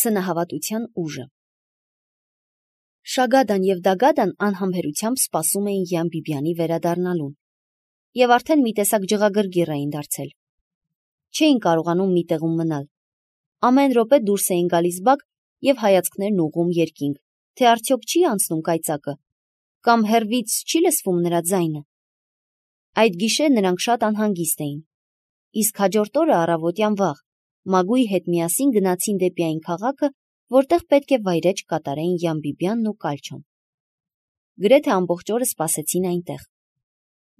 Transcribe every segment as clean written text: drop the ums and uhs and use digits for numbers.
Սնահավատության ուժը։ Շագադան և Դագադան անհամբերությամբ սպասում էին Յան Բիբյանի վերադառնալուն և արդեն մի տեսակ ջղագրգիռ էին դարձել։ Չէին կարողանում մի տեղում մնալ։ Ամեն րոպե դուրս էին գալիս բակ և հայացքներն ուղղում երկինք, թե արդյոք չի անցնում կայծակը, կամ հեռվից չի լսվում նրա ձայնը։ Այդ գիշեր նրանք շատ անհանգիստ էին, իսկ հաջորդ օրը առավոտյան վաղ Մագուի հետ միասին գնացին դեպի այն քաղաքը, որտեղ պետք է վայրէջք կատարեին Յան Բիբյանն ու Կալչոն։ Գրեթե ամբողջ օրը սպասեցին այնտեղ,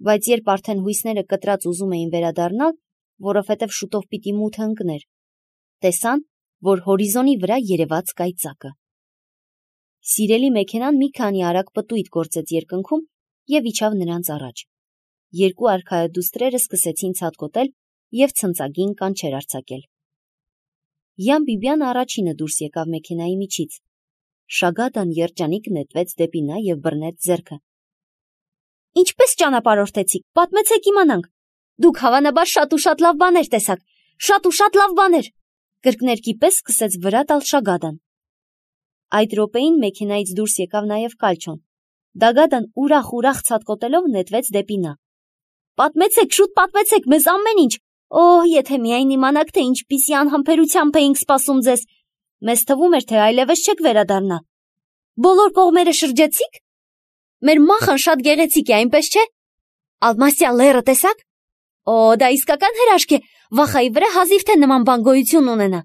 բայց երբ արդեն հույսները կտրած ուզում էին վերադառնալ, որովհետև շուտով պիտի մութը ընկներ, տեսան, որ հորիզոնի վրա երևաց կայծակը։ Սիրելի մեքենան մի քանի արագ պտույտ գործեց երկնքում և իջավ նրանց առաջ։ Երկու արքայադուստրերը սկսեցին ցատկոտել և ցնծագին կանչեր արձակել։ Յան Բիբյանը առաջինը դուրս եկավ մեքենայի միջից։ Շագադան երջանիկ նետվեց դեպի նա և բռնեց ձեռքը։ Ինչպես ճանապարհորդեցիք, պատմեցեք իմանանք։ Դուք հավանաբար շատ ու շատ լավ բաներ տեսաք, շատ ու շատ լավ բաներ, կրկներկի պես սկսեց վրա տալ Շագադան։ Այդ րոպեին մեքենայից դուրս եկավ նաև Կալչոն։ Դագադան ուրախ ցատկոտելով նետվեց դեպի նա։ Պատմեցեք, շուտ պատմեցեք մեզ ամեն ինչ։ Օհ, եթե միայն իմանաք, թե ինչպիսի անհամբերությամբ էինք սպասում ձեզ։ Մեզ թվում էր, թե այլևս չեք վերադառնա։ Բոլոր կողմերը շրջեցիք։ Մեր մախան շատ գեղեցիկ է, այնպես չէ։ Ալմասիա լեռը տեսաք։ Օ, դա իսկական հրաշք է, վախայի վրա հազիվ թե նման բան գոյություն ունենա։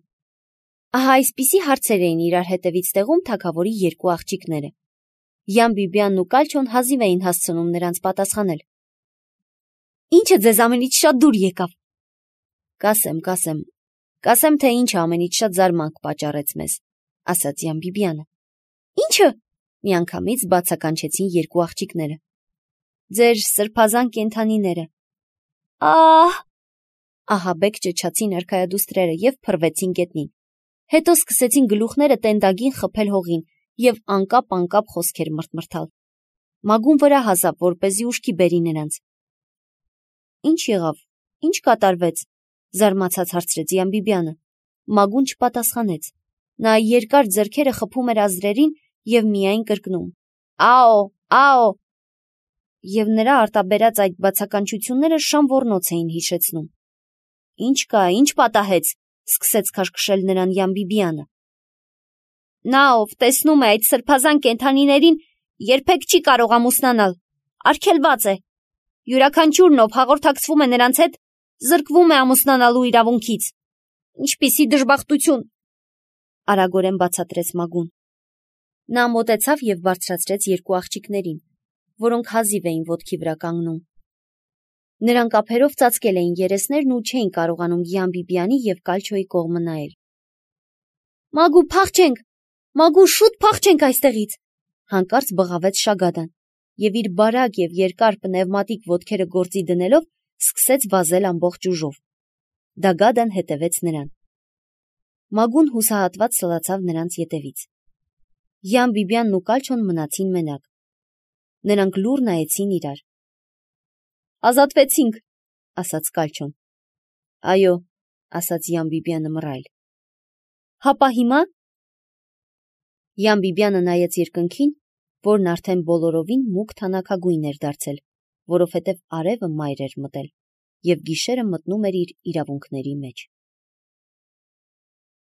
Ահա այսպիսի հարցեր էին իրար հետևից տեղում թագավորի երկու աղջիկները։ Յան Բիբյանն ու Կալչոն հազիվ էին հասցնում նրանց պատասխանել։ Ինչը ձեզ ամենից շատ դուր եկավ։ Կասեմ, թե ինչը ամենից շատ զարմանք պատճառեց մեզ, ասաց Յան Բիբյանը։ Ինչը։ Միանգամից բացականչեցին երկու աղջիկները։ Ձեր սրբազան կենդանիները։ Ահաբեկ ճչացին արքայադուստրերը և փռվեցին գետնին։ Հետո սկսեցին գլուխները տենդագին խփել հողին և անկապ խոսքեր մրթմրթալ։ Մագուն վրա հազավ, որպեսզի ուշքի բերի նրանց։ Ինչ եղավ, ինչ կատարվեց, զարմացած հարցրեց Յան Բիբյանը։ Մագուն չպատասխանեց։ Նա երկար ձեռքերը խփում էր ազդրերին և միայն կրկնում. Աո։ Եվ նրա արտաբերած այդ բացականչությունները շան ոռնոց էին հիշեցնում։ Ինչ կա, ինչ պատահեց, սկսեց քաշքշել նրան Յան Բիբյանը։ Նա, ով տեսնում է այդ սրբազան կենդանիներին, երբեք չի կարող ամուսնանալ, արգելված է։ Յուրաքանչյուրն, ով հաղորդակցվում է նրանց հետ, զրկվում է ամուսնանալու իրավունքից։ Ինչպիսի դժբախտություն, արագորեն բացատրեց Մագուն։ Նա մոտեցավ և բարձրացրեց երկու աղջիկներին, որոնք հազիվ էին ոտքի վրա կանգնում։ Նրանք ափերով ծածկել էին երեսներն ու չէին կարողանում Յան Բիբյանի և Կալչոյի կողմը նայել։ Մագու, փախչենք, Մագու, շուտ փախչենք այստեղից, հանկարծ բղավեց Շագադան և իր բարակ և երկար պնևմատիկ ոտքերը գործի դնելով սկսեց վազել ամբողջ ուժով։ Դագադան հետևեց նրան։ Մագուն հուսահատված սլացավ նրանց ետևից։ Յան Բիբյանն ու Կալչոն մնացին մենակ։ Նրանք լուռ նայեցին իրար։ Ազատվեցինք, ասաց Կալչոն։ Այո, ասաց Յան Բիբյանը մռայլ։ Հապա հիմա։ Յան Բիբյանը նայեց երկնքին, որն արդեն բոլորովին մուգ թանաքագույն էր դարձել, որովհետև արևը մայր էր մտել, և գիշերը մտնում էր իր իրավունքների մեջ։